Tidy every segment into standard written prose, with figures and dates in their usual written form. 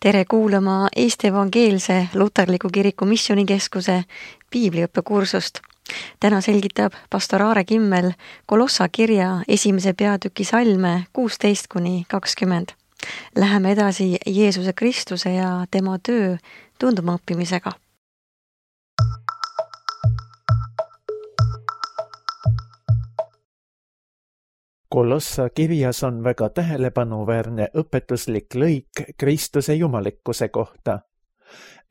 Tere kuulama Eesti Evangeelse Luterliku Kiriku Missioonikeskuse piibliõppekursust. Täna selgitab pastor Aare Kimmel Kolossa kirja 1. peatüki salme 16-20. Läheme edasi Jeesuse Kristuse ja tema töö tundma õppimisega. Kolossa kirjas on väga tähelepanuväärne õpetuslik lõik Kristuse jumalikkuse kohta.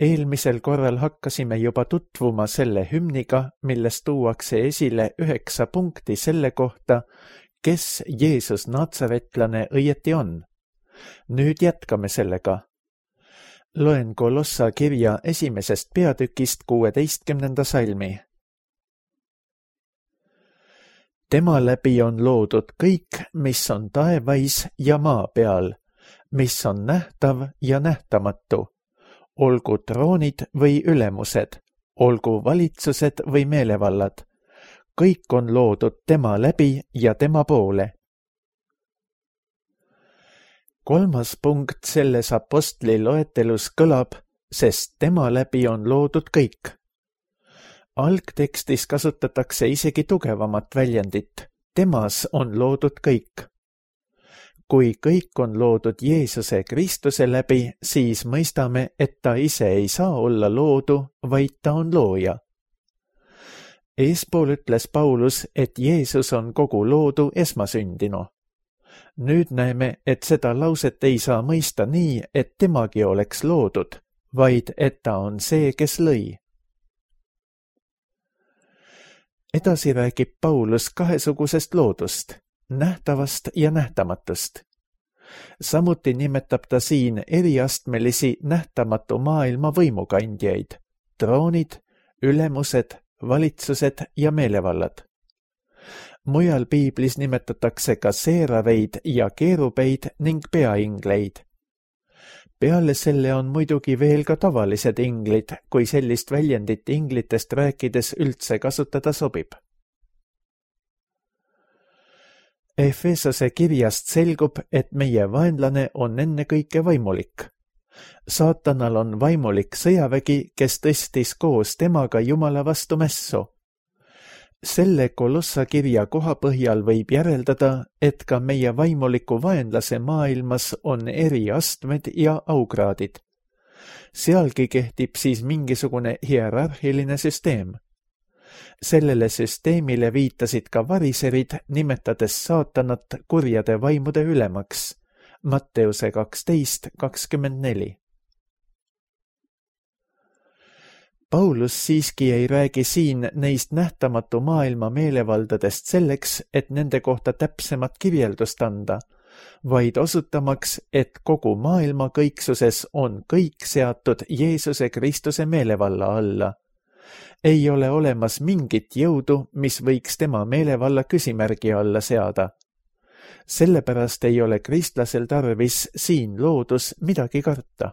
Eelmisel korral hakkasime juba tutvuma selle hümniga, milles tuuakse esile 9 punkti selle kohta, kes Jeesus Natsaretlane õieti on. Nüüd jätkame sellega. Loen Kolossa kirja 1. peatükist 16. salmi. Tema läbi on loodud kõik, mis on taevais ja maa peal, mis on nähtav ja nähtamatu, olgu troonid või ülemused, olgu valitsused või meelevallad. Kõik on loodud tema läbi ja tema poole. 3. punkt selles apostli loetelus kõlab, sest tema läbi on loodud kõik. Algtekstis kasutatakse isegi tugevamat väljendit. Temas on loodud kõik. Kui kõik on loodud Jeesuse Kristuse läbi, siis mõistame, et ta ise ei saa olla loodu, vaid ta on looja. Eespool ütles Paulus, et Jeesus on kogu loodu esmasündinu. Nüüd näeme, et seda lauset ei saa mõista nii, et temagi oleks loodud, vaid et ta on see, kes lõi. Edasi räägib Paulus kahesugusest loodust, nähtavast ja nähtamatust. Samuti nimetab ta siin eriastmelisi nähtamatu maailma võimukandjaid, troonid, ülemused, valitsused ja meelevallad. Mujal piiblis nimetatakse ka seeraveid ja keerubeid ning peaingleid. Peale selle on muidugi veel ka tavalised inglid, kui sellist väljendit inglitest rääkides üldse kasutada sobib. Efesose kirjast selgub, et meie vaenlane on ennekõike vaimulik. Saatanal on vaimulik sõjavägi, kes tõstis koos temaga Jumala vastu mässu. Selle Kolossa kirja koha põhjal võib järeldada, et ka meie vaimuliku vaenlase maailmas on eri astmed ja aukraadid. Sealgi kehtib siis mingisugune hierarhiline süsteem. Sellele süsteemile viitasid ka variserid, nimetades saatanat kurjade vaimude ülemaks. Matteuse 12:24. Paulus siiski ei räägi siin neist nähtamatu maailma meelevaldadest selleks, et nende kohta täpsemat kirjeldust anda, vaid osutamaks, et kogu maailma kõiksuses on kõik seatud Jeesuse Kristuse meelevalla alla. Ei ole olemas mingit jõudu, mis võiks tema meelevalla küsimärgi alla seada. Sellepärast ei ole kristlasel tarvis siin loodus midagi karta.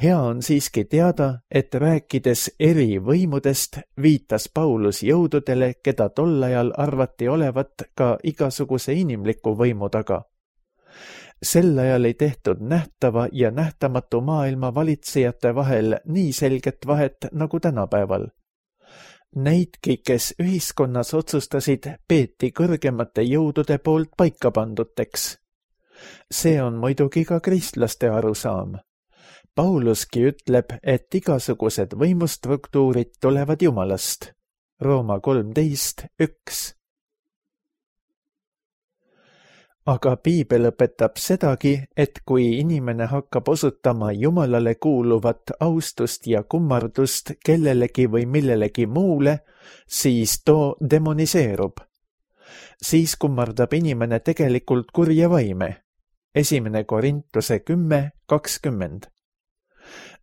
Hea on siiski teada, et rääkides eri võimudest viitas Paulus jõududele, keda tol ajal arvati olevat ka igasuguse inimliku võimu taga. Sel ajal ei tehtud nähtava ja nähtamatu maailma valitsejate vahel nii selget vahet nagu tänapäeval. Neidki, kes ühiskonnas otsustasid, peeti kõrgemate jõudude poolt paika panduteks. See on muidugi ka kristlaste arusaam. Pauluski ütleb, et igasugused võimustruktuurid tulevad Jumalast. Rooma 13:1. Aga piibel õpetab sedagi, et kui inimene hakkab osutama Jumalale kuuluvat austust ja kummardust kellelegi või millelegi muule, siis too demoniseerub. Siis kummardab inimene tegelikult kurja vaime. 1. Korintuse 10:20.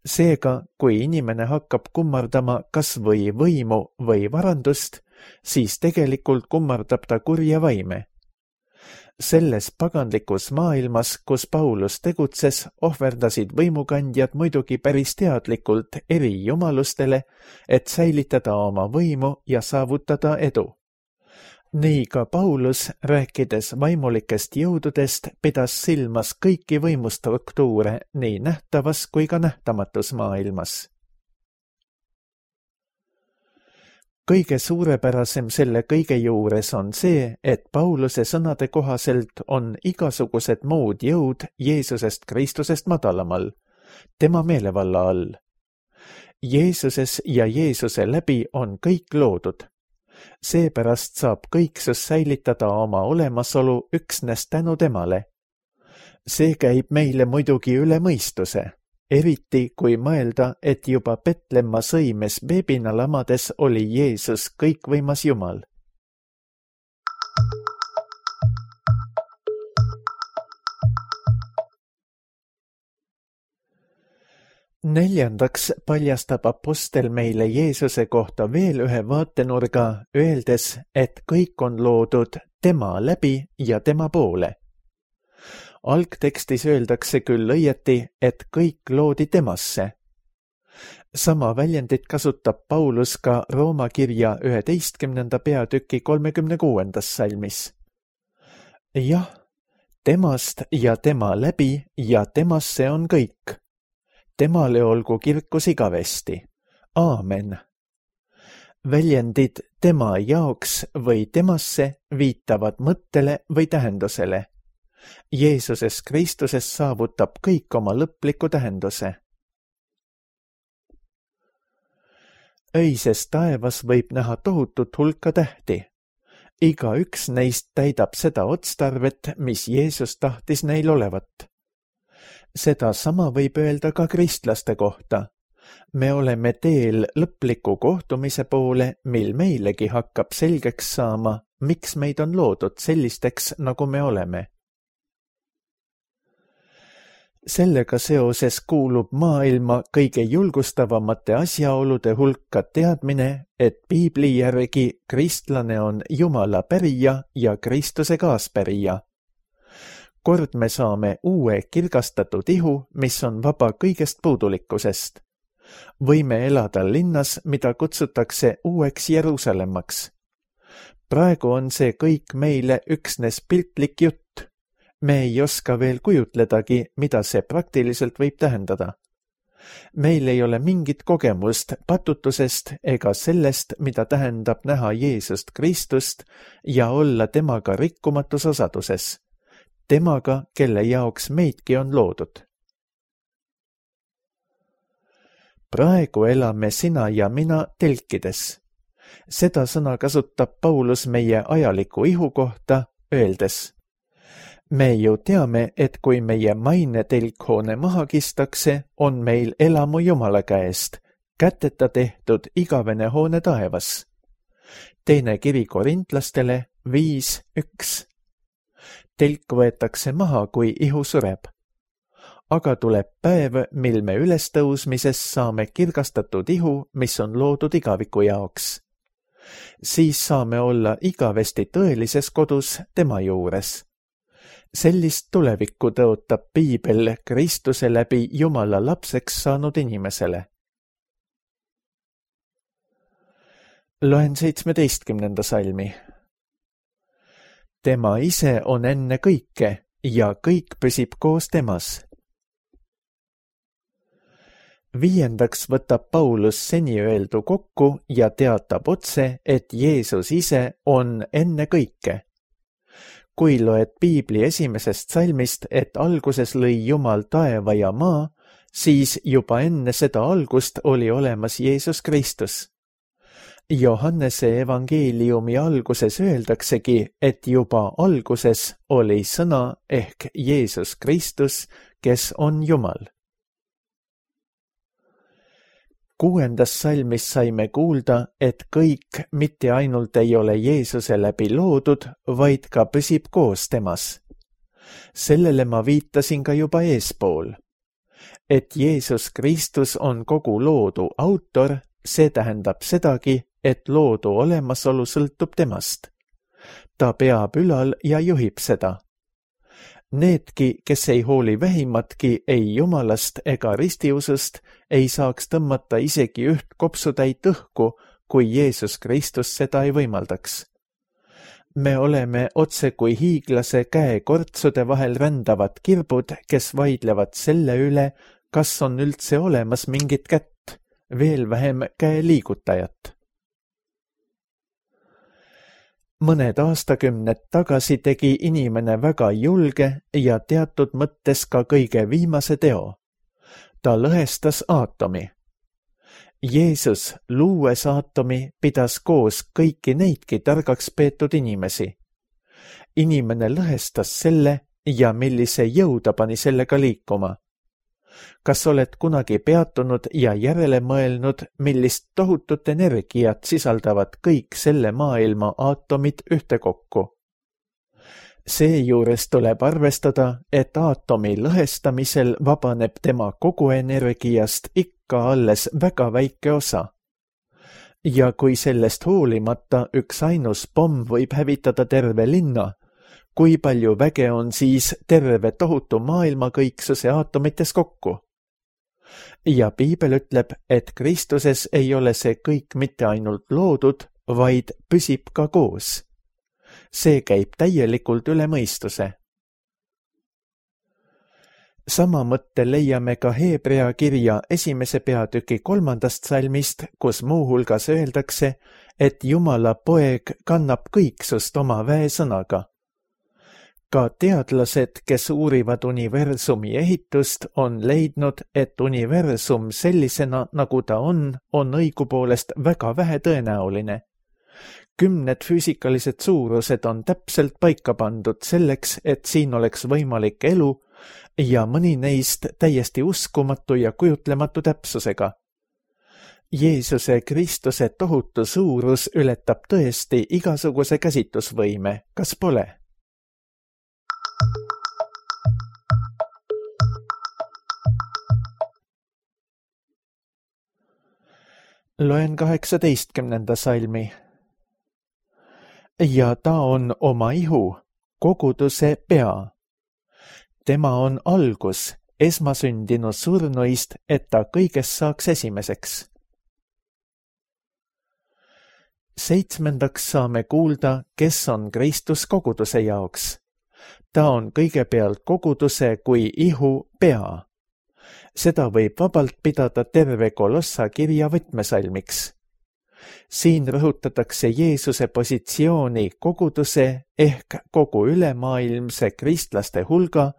Seega, kui inimene hakkab kummardama kas või võimu või varandust, siis tegelikult kummardab ta kurja vaime. Selles paganlikus maailmas, kus Paulus tegutses, ohverdasid võimukandjad muidugi päris teadlikult eri jumalustele, et säilitada oma võimu ja saavutada edu. Nii ka Paulus, rääkides vaimulikest jõududest, pidas silmas kõiki võimustruktuure nii nähtavas kui ka nähtamatus maailmas. Kõige suurepärasem selle kõige juures on see, et Pauluse sõnade kohaselt on igasugused muud jõud Jeesusest Kristusest madalamal, tema meelevalla all. Jeesuses ja Jeesuse läbi on kõik loodud. Seepärast saab kõiksus säilitada oma olemasolu üksnes tänu temale. See käib meile muidugi üle mõistuse. Eriti kui mõelda, et juba Petlemma sõimes beebina lamades oli Jeesus kõikvõimas Jumal. Neljandaks paljastab apostel meile Jeesuse kohta veel ühe vaatenurga, öeldes, et kõik on loodud tema läbi ja tema poole. Algtekstis öeldakse küll õieti, et kõik loodi temasse. Sama väljendit kasutab Paulus ka Rooma kirja 11. peatüki 36. salmis. Jah, temast ja tema läbi ja temasse on kõik. Temale olgu kirkus igavesti. Aamen. Väljendid tema jaoks või temasse viitavad mõttele või tähendusele. Jeesuses Kristuses saavutab kõik oma lõpliku tähenduse. Öises taevas võib näha tohutut hulka tähti. Iga üks neist täidab seda otstarvet, mis Jeesus tahtis neil olevat. Seda sama võib öelda ka kristlaste kohta. Me oleme teel lõpliku kohtumise poole, mil meilegi hakkab selgeks saama, miks meid on loodud sellisteks, nagu me oleme. Sellega seoses kuulub maailma kõige julgustavamate asjaolude hulka teadmine, et piibli järgi kristlane on Jumala pärija ja Kristuse kaaspärija. Kord me saame uue kirgastatud ihu, mis on vaba kõigest puudulikkusest. Võime elada linnas, mida kutsutakse uueks Jeruusalemmaks. Praegu on see kõik meile üksnes piltlik jutt. Me ei oska veel kujutledagi, mida see praktiliselt võib tähendada. Meil ei ole mingit kogemust patutusest ega sellest, mida tähendab näha Jeesust Kristust ja olla temaga rikkumatus osaduses. Temaga, kelle jaoks meidki on loodud. Praegu elame sina ja mina telkides. Seda sõna kasutab Paulus meie ajaliku ihu kohta, öeldes: me ju teame, et kui meie maine telkhoone maha kistakse, on meil elamu Jumala käest, käteta tehtud igavene hoone taevas. Teine kiri korintlastele 5:1. Telk võetakse maha, kui ihu sureb. Aga tuleb päev, mil me ülestõusmises saame kirgastatud ihu, mis on loodud igaviku jaoks. Siis saame olla igavesti tõelises kodus tema juures. Sellist tulevikku tõotab piibel Kristuse läbi Jumala lapseks saanud inimesele. Loen 17. salmi. Tema ise on enne kõike ja kõik püsib koos temas. Viiendaks võtab Paulus seni öeldu kokku ja teatab otse, et Jeesus ise on enne kõike. Kui loed piibli esimesest salmist, et alguses lõi Jumal taeva ja maa, siis juba enne seda algust oli olemas Jeesus Kristus. Johannese evangeeliumi alguses öeldaksegi, et juba alguses oli sõna ehk Jeesus Kristus, kes on Jumal. 6. salmis saime kuulda, et kõik mitte ainult ei ole Jeesuse läbi loodud, vaid ka püsib koos temas. Sellele ma viitasin ka juba eespool. Et Jeesus Kristus on kogu loodu autor, see tähendab sedagi, et loodu olemasolu sõltub temast. Ta peab ülal ja juhib seda. Needki, kes ei hooli vähimatki ei Jumalast ega ristiusust, ei saaks tõmmata isegi üht kopsutäit õhku, kui Jeesus Kristus seda ei võimaldaks. Me oleme otse kui hiiglase käekortsude vahel rändavad kirbud, kes vaidlevad selle üle, kas on üldse olemas mingit kätt, veel vähem käeliigutajat. Mõned aastakümned tagasi tegi inimene väga julge ja teatud mõttes ka kõige viimase teo. Ta lõhestas aatomi. Jeesus, luues aatomi, pidas koos kõiki neidki targaks peetud inimesi. Inimene lõhestas selle ja millise jõu ta pani sellega liikuma. Kas oled kunagi peatunud ja järele mõelnud, millist tohutut energiat sisaldavad kõik selle maailma aatomid ühtekokku? Seejuures tuleb arvestada, et aatomi lõhestamisel vabaneb tema kogu energiast ikka alles väga väike osa. Ja kui sellest hoolimata üks ainus pomm võib hävitada terve linna, kui palju väge on siis terve tohutu maailmakõiksuse aatomites kokku? Ja piibel ütleb, et Kristuses ei ole see kõik mitte ainult loodud, vaid püsib ka koos. See käib täielikult üle mõistuse. Sama mõtte leiame ka Hebrea kirja 1. peatüki 3. salmist, kus muuhulgas öeldakse, et Jumala poeg kannab kõiksust oma väesõnaga. Ka teadlased, kes uurivad universumi ehitust, on leidnud, et universum sellisena, nagu ta on õigupoolest väga vähetõenäoline. 10 füüsikalised suurused on täpselt paika pandud selleks, et siin oleks võimalik elu ja mõni neist täiesti uskumatu ja kujutlematu täpsusega. Jeesuse Kristuse tohutu suurus ületab tõesti igasuguse käsitlusvõime, kas pole? Loen 18. salmi. Ja ta on oma ihu, koguduse pea. Tema on algus, esmasündinu surnuist, et ta kõigest saaks esimeseks. 7. saame kuulda, kes on Kristus koguduse jaoks. Ta on kõigepealt koguduse kui ihu pea. Seda võib vabalt pidada terve Kolossa kirja võtmesalmiks. Siin rõhutatakse Jeesuse positsiooni koguduse ehk kogu ülemaailmse kristlaste hulga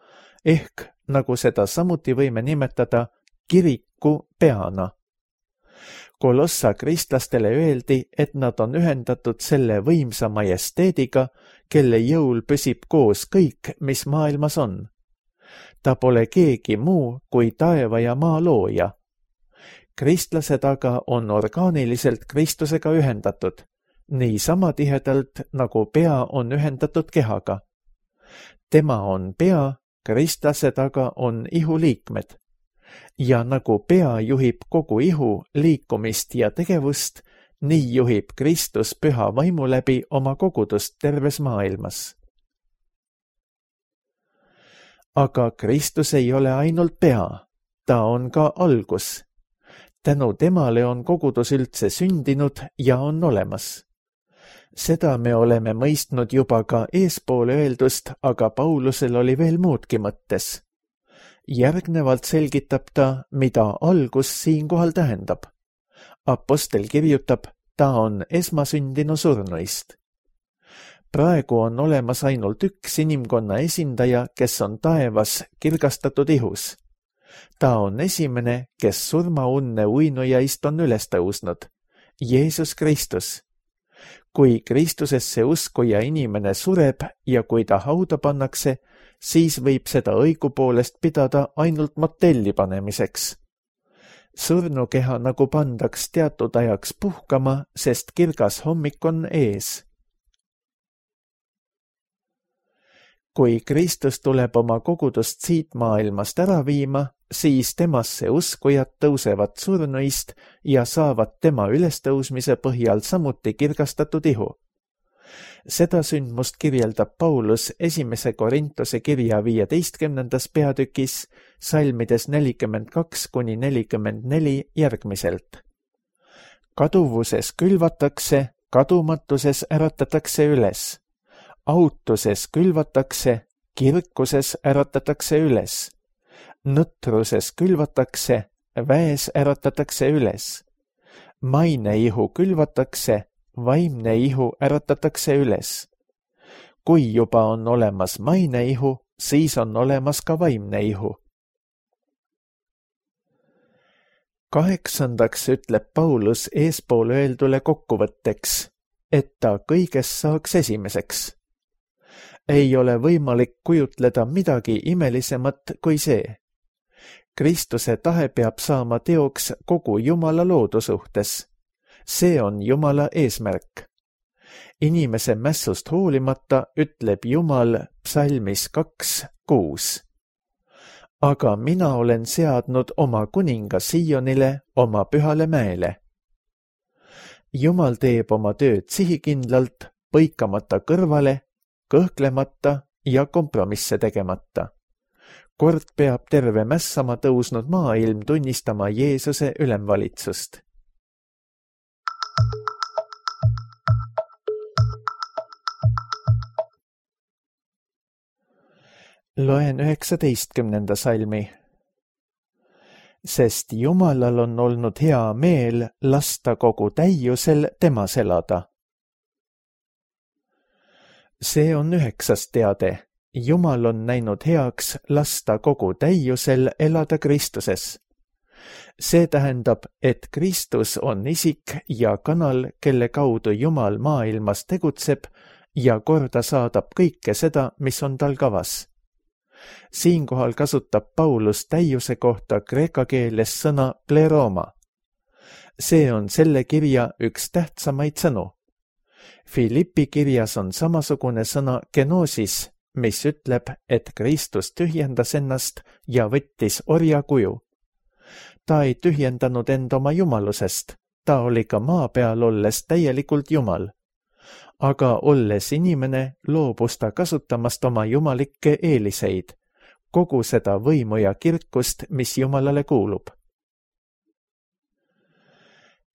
ehk, nagu seda samuti võime nimetada, kiriku peana. Kolossa kristlastele öeldi, et nad on ühendatud selle võimsa majesteediga, kelle jõul püsib koos kõik, mis maailmas on. Ta pole keegi muu kui taeva ja maa looja. Kristlased aga on orgaaniliselt Kristusega ühendatud, nii sama tihedalt, nagu pea on ühendatud kehaga. Tema on pea, kristlased aga on ihuliikmed. Ja nagu pea juhib kogu ihu liikumist ja tegevust, nii juhib Kristus püha vaimu läbi oma kogudust terves maailmas. Aga Kristus ei ole ainult pea, ta on ka algus. Tänu temale on kogudus üldse sündinud ja on olemas. Seda me oleme mõistnud juba ka eespoole öeldust, aga Paulusel oli veel muudki mõttes. Järgnevalt selgitab ta, mida algus siinkohal tähendab. Apostel kirjutab, ta on esmasündinu surnuist. Praegu on olemas ainult üks inimkonna esindaja, kes on taevas kirgastatud ihus. Ta on esimene, kes surmaunne uinujaist on üles tõusnud, Jeesus Kristus. Kui Kristusesse uskuja inimene sureb ja kui ta hauda pannakse, siis võib seda õigupoolest pidada ainult motelli panemiseks. Surnukeha nagu pandaks teatud ajaks puhkama, sest kirgas hommik on ees. Kui Kristus tuleb oma kogudust siit maailmast ära viima, siis temasse uskujad tõusevad surnuist ja saavad tema ülestõusmise põhjal samuti kirgastatud ihu. Seda sündmust kirjeldab Paulus 1. Korintuse kirja 15. peatükis, salmides 42-44 järgmiselt. Kaduvuses külvatakse, kadumatuses äratatakse üles. autuses külvatakse, kirkuses äratatakse üles. Nõtruses külvatakse, väes äratatakse üles. Maine ihu külvatakse, vaimne ihu äratatakse üles. Kui juba on olemas maine ihu, siis on olemas ka vaimne ihu. 8. ütleb Paulus eespool öeldule kokkuvõtteks, et ta kõigest saaks esimeseks. Ei ole võimalik kujutleda midagi imelisemat kui see. Kristuse tahe peab saama teoks kogu Jumala loodu suhtes. See on Jumala eesmärk. Inimese mässust hoolimata ütleb Jumal psalmis 2:6. Aga mina olen seadnud oma kuninga Sionile, oma pühale mäele. Jumal teeb oma tööd sihikindlalt, põikamata kõrvale, kõhklemata ja kompromisse tegemata. Kord peab terve mässama tõusnud maailm tunnistama Jeesuse ülemvalitsust. Loen 19. salmi. Sest Jumalal on olnud hea meel lasta kogu täiusel temas elada. See on 9. teade. Jumal on näinud heaks lasta kogu täiusel elada Kristuses. See tähendab, et Kristus on isik ja kanal, kelle kaudu Jumal maailmas tegutseb ja korda saadab kõike seda, mis on tal kavas. Siinkohal kasutab Paulus täiuse kohta kreeka keeles sõna pleroma. See on selle kirja üks tähtsamaid sõnu. Filippi kirjas on samasugune sõna kenosis, mis ütleb, et Kristus tühjendas ennast ja võttis orja kuju. Ta ei tühjendanud end oma jumalusest, ta oli ka maa peal olles täielikult Jumal. Aga olles inimene, loobus ta kasutamast oma jumalikke eeliseid, kogu seda võimu ja kirkust, mis Jumalale kuulub.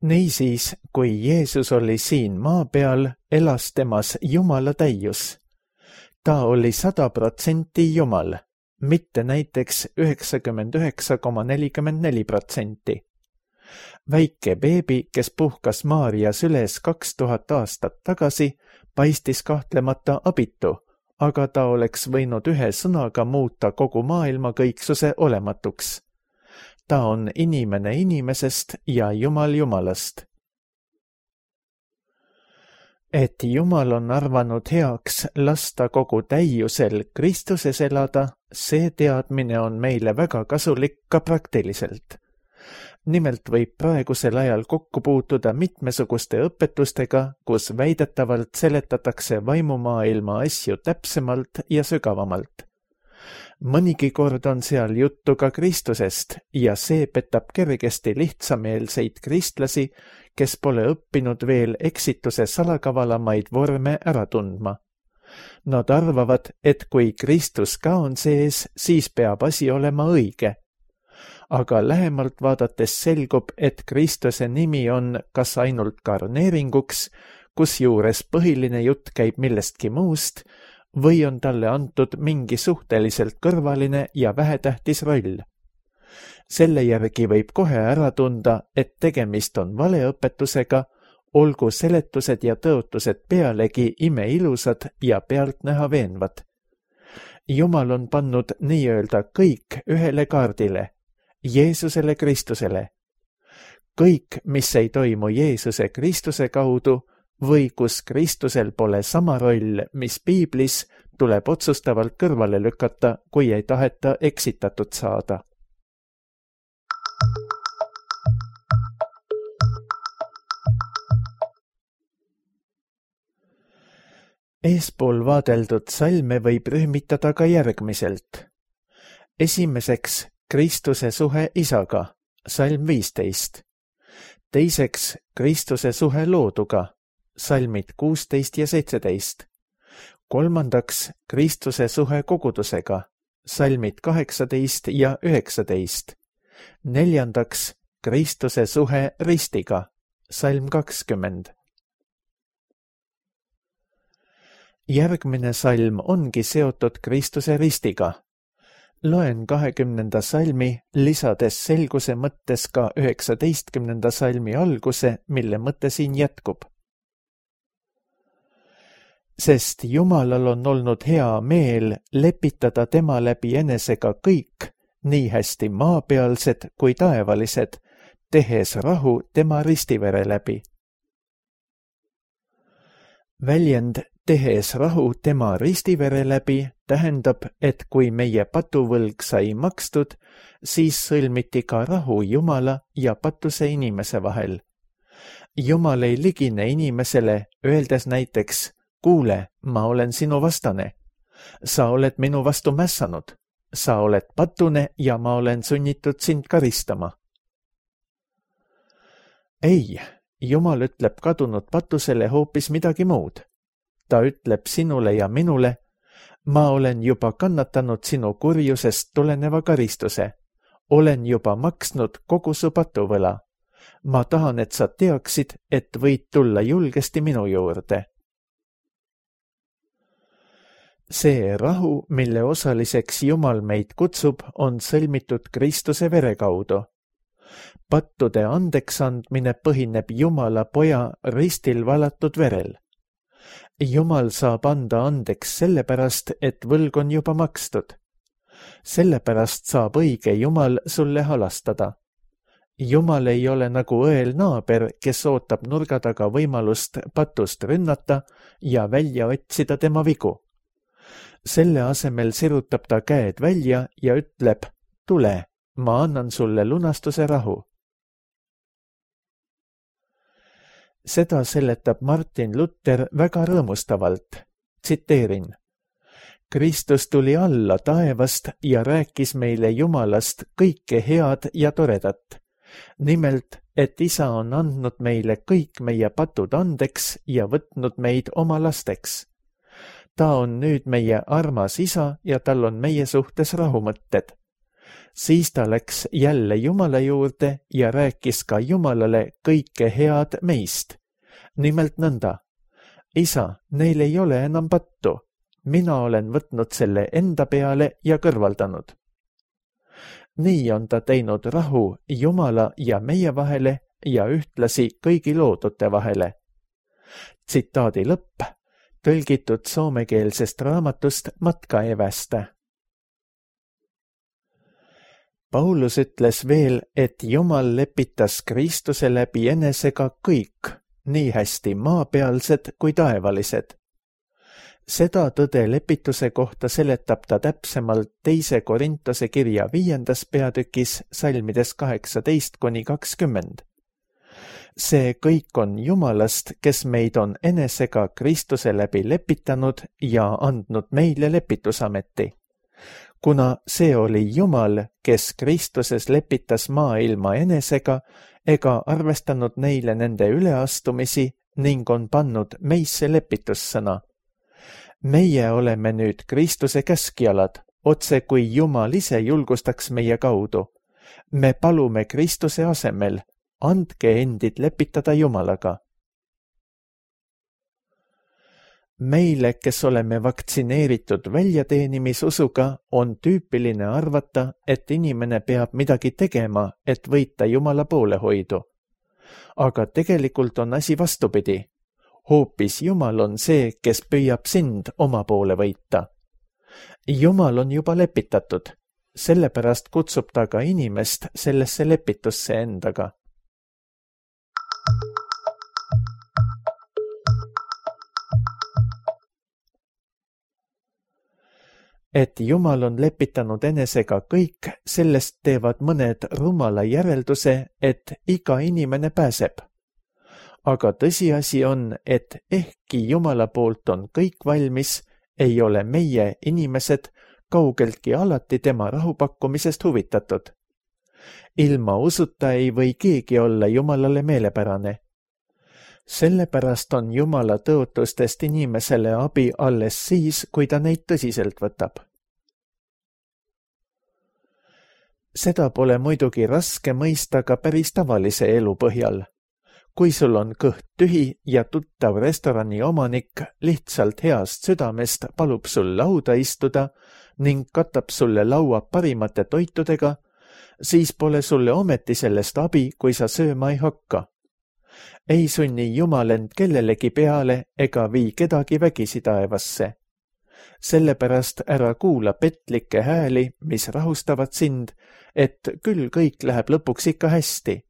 Niisiis, kui Jeesus oli siin maa peal, elas temas Jumala täius. Ta oli 100% Jumal, mitte näiteks 99,44%. Väike beebi, kes puhkas Maarja süles 2000 aastat tagasi, paistis kahtlemata abitu, aga ta oleks võinud ühe sõnaga muuta kogu maailma kõiksuse olematuks. Ta on inimene inimesest ja Jumal Jumalast. Et Jumal on arvanud heaks lasta kogu täiusel Kristuses elada, see teadmine on meile väga kasulik ka praktiliselt. Nimelt võib praegusel ajal kokku puutuda mitmesuguste õpetustega, kus väidetavalt seletatakse vaimumaailma asju täpsemalt ja sügavamalt. Mõnigi kord on seal juttu ka Kristusest ja see petab kergesti lihtsameelseid kristlasi, kes pole õppinud veel eksituse salakavalamaid vorme ära tundma. Nad arvavad, et kui Kristus ka on sees, siis peab asi olema õige. Aga lähemalt vaadates selgub, et Kristuse nimi on kas ainult karneeringuks, kusjuures põhiline jutt käib millestki muust, või on talle antud mingi suhteliselt kõrvaline ja vähetähtis roll. Selle järgi võib kohe ära tunda, et tegemist on valeõpetusega, olgu seletused ja tõotused pealegi imeilusad ja pealtnäha veenvad. Jumal on pannud nii-öelda kõik ühele kaardile, Jeesusele Kristusele. Kõik, mis ei toimu Jeesuse Kristuse kaudu või kus Kristusel pole sama roll, mis piiblis, tuleb otsustavalt kõrvale lükata, kui ei taheta eksitatud saada. Eespool vaadeldud salme võib rühmitada ka järgmiselt. Esimeseks Kristuse suhe isaga, salm 15. Teiseks Kristuse suhe looduga, salmid 16 ja 17. Kolmandaks Kristuse suhe kogudusega, salmid 18 ja 19. Neljandaks Kristuse suhe ristiga, salm 20. Järgmine salm ongi seotud Kristuse ristiga. Loen 20. salmi, lisades selguse mõttes ka 19. salmi alguse, mille mõte siin jätkub. Sest Jumalal on olnud hea meel lepitada tema läbi enesega kõik, nii hästi maapealsed kui taevalised, tehes rahu tema ristivere läbi. Väljend tehes rahu tema ristivere läbi tähendab, et kui meie patuvõlg sai makstud, siis sõlmiti ka rahu Jumala ja patuse inimese vahel. Jumal ei ligine inimesele, öeldes näiteks, kuule, ma olen sinu vastane. Sa oled minu vastu mässanud. Sa oled patune ja ma olen sunnitud sind karistama. Ei, Jumal ütleb kadunud patusele hoopis midagi muud. Ta ütleb sinule ja minule, ma olen juba kannatanud sinu kurjusest tuleneva karistuse. Olen juba maksnud kogu su patuvõla. Ma tahan, et sa teaksid, et võid tulla julgesti minu juurde. See rahu, mille osaliseks Jumal meid kutsub, on sõlmitud Kristuse vere kaudu. Pattude andeksandmine põhineb Jumala poja ristil valatud verel. Jumal saab anda andeks sellepärast, et võlg on juba makstud. Sellepärast saab õige Jumal sulle halastada. Jumal ei ole nagu õel naaber, kes ootab nurga taga võimalust patust rünnata ja välja otsida tema vigu. Selle asemel sirutab ta käed välja ja ütleb, tule, ma annan sulle lunastuse rahu. Seda seletab Martin Luther väga rõõmustavalt. Tsiteerin. Kristus tuli alla taevast ja rääkis meile Jumalast kõike head ja toredat. Nimelt, et Isa on andnud meile kõik meie patud andeks ja võtnud meid oma lasteks. Ta on nüüd meie armas Isa ja tal on meie suhtes rahumõtted. Siis ta läks jälle Jumala juurde ja rääkis ka Jumalale kõike head meist. Nimelt nõnda. Isa, neil ei ole enam pattu. Mina olen võtnud selle enda peale ja kõrvaldanud. Nii on ta teinud rahu Jumala ja meie vahele ja ühtlasi kõigi loodute vahele. Tsitaadi lõpp, tõlgitud soomekeelsest raamatust Matkaevästä. Paulus ütles veel, et Jumal lepitas Kristuse läbi enesega kõik, nii hästi maapealsed kui taevalised. Seda tõde lepituse kohta seletab ta täpsemalt 2. Korintuse kirja 5. peatükis salmides 18–20. See kõik on Jumalast, kes meid on enesega Kristuse läbi lepitanud ja andnud meile lepitusameti. Kuna see oli Jumal, kes Kristuses lepitas maailma enesega ega arvestanud neile nende üleastumisi ning on pannud meisse lepitussõna. Meie oleme nüüd Kristuse käskjalad, otse kui Jumal ise julgustaks meie kaudu. Me palume Kristuse asemel, andke endid lepitada Jumalaga. Meile, kes oleme vaktsineeritud väljateenimisusuga, on tüüpiline arvata, et inimene peab midagi tegema, et võita Jumala poolehoidu. Aga tegelikult on asi vastupidi. Hoopis Jumal on see, kes püüab sind oma poole võita. Jumal on juba lepitatud, sellepärast kutsub ta ka inimest sellesse lepitusse endaga. Et Jumal on lepitanud enesega kõik, sellest teevad mõned rumala järelduse, et iga inimene pääseb. Aga tõsiasi on, et ehkki Jumala poolt on kõik valmis, ei ole meie inimesed kaugeltki alati tema rahupakkumisest huvitatud. Ilma usuta ei või keegi olla Jumalale meelepärane. Sellepärast on Jumala tõotustest inimesele abi alles siis, kui ta neid tõsiselt võtab. Seda pole muidugi raske mõista ka päris tavalise elu põhjal. kui sul on kõht tühi ja tuttav restorani omanik lihtsalt heast südamest palub sul lauda istuda ning katab sulle laua parimate toitudega, siis pole sulle ometi sellest abi, kui sa sööma ei hakka. Ei sunni Jumal end kellelegi peale ega vii kedagi vägisi taevasse. Sellepärast ära kuula petlikke hääli, mis rahustavad sind, et küll kõik läheb lõpuks ikka hästi.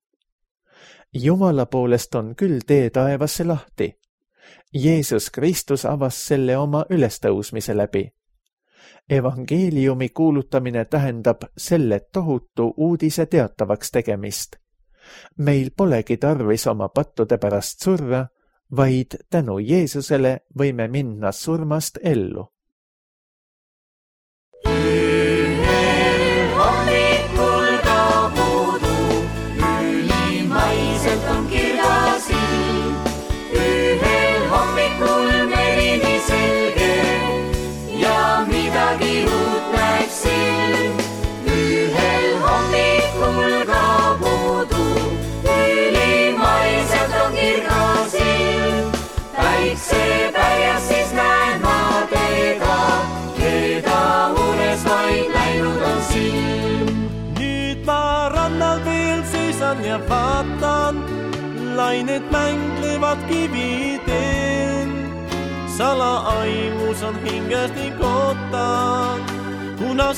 Jumala poolest on küll tee taevasse lahti. Jeesus Kristus avas selle oma ülestõusmise läbi. Evangeeliumi kuulutamine tähendab selle tohutu uudise teatavaks tegemist. Meil polegi tarvis oma pattude pärast surra, vaid tänu Jeesusele võime minna surmast ellu. Ja vaatan, lained mänglevad kividel. Salaaimus on hinges ning ootan,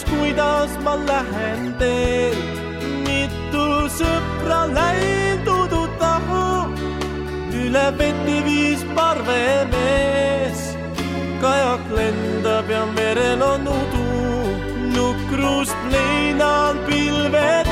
kuidas ma lähen teel. Mitu sõpra läindudu tahu, üle veti viis parvemees. Kajak lendab ja merel on udu, nukrust leinan pilvedes.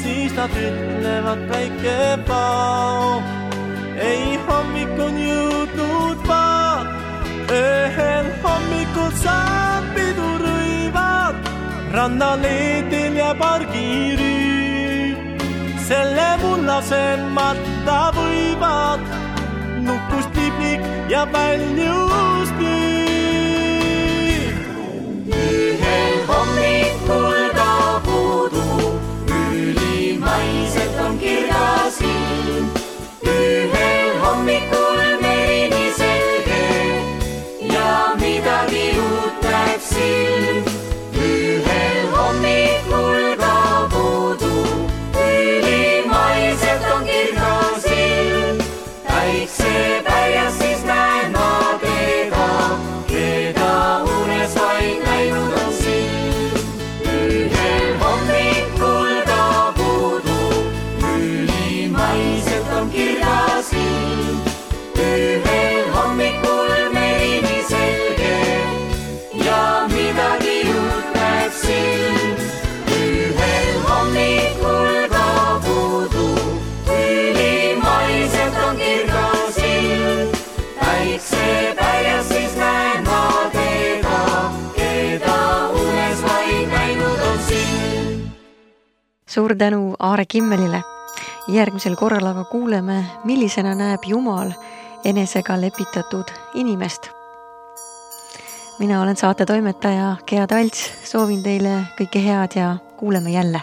Siis nad ütlevad päike pao. Ei hommik on jõudnud vaat, ühel hommikul saab pidurõivad. Rannaleedel ja pargirüü, selle mullasemata võivad. Nukust liblik ja väljust nüüd. Ühel hommikul maiselt on kirgasin, ühel hommikul merini selge ja midagi uut näeb silm. Ühel hommikul ka puudu, ülimaiselt on kirgasin, päiksepäias siis näen ma teda, keda unes vaid näinud on silm. Ühel hommikul ühel hommikul merini selge ja midagi uut näeb silm. Ühel hommikul ka puudu, ülimaiselt on kirgas ilm. Päiksepäias siis näen ma teda, keda unes vaid näinud on silm. Suur tänu Aare Kimmelile. Järgmisel korral aga kuuleme, millisena näeb Jumal enesega lepitatud inimest. Mina olen saate toimetaja Gea Talts, soovin teile kõike head ja kuuleme jälle.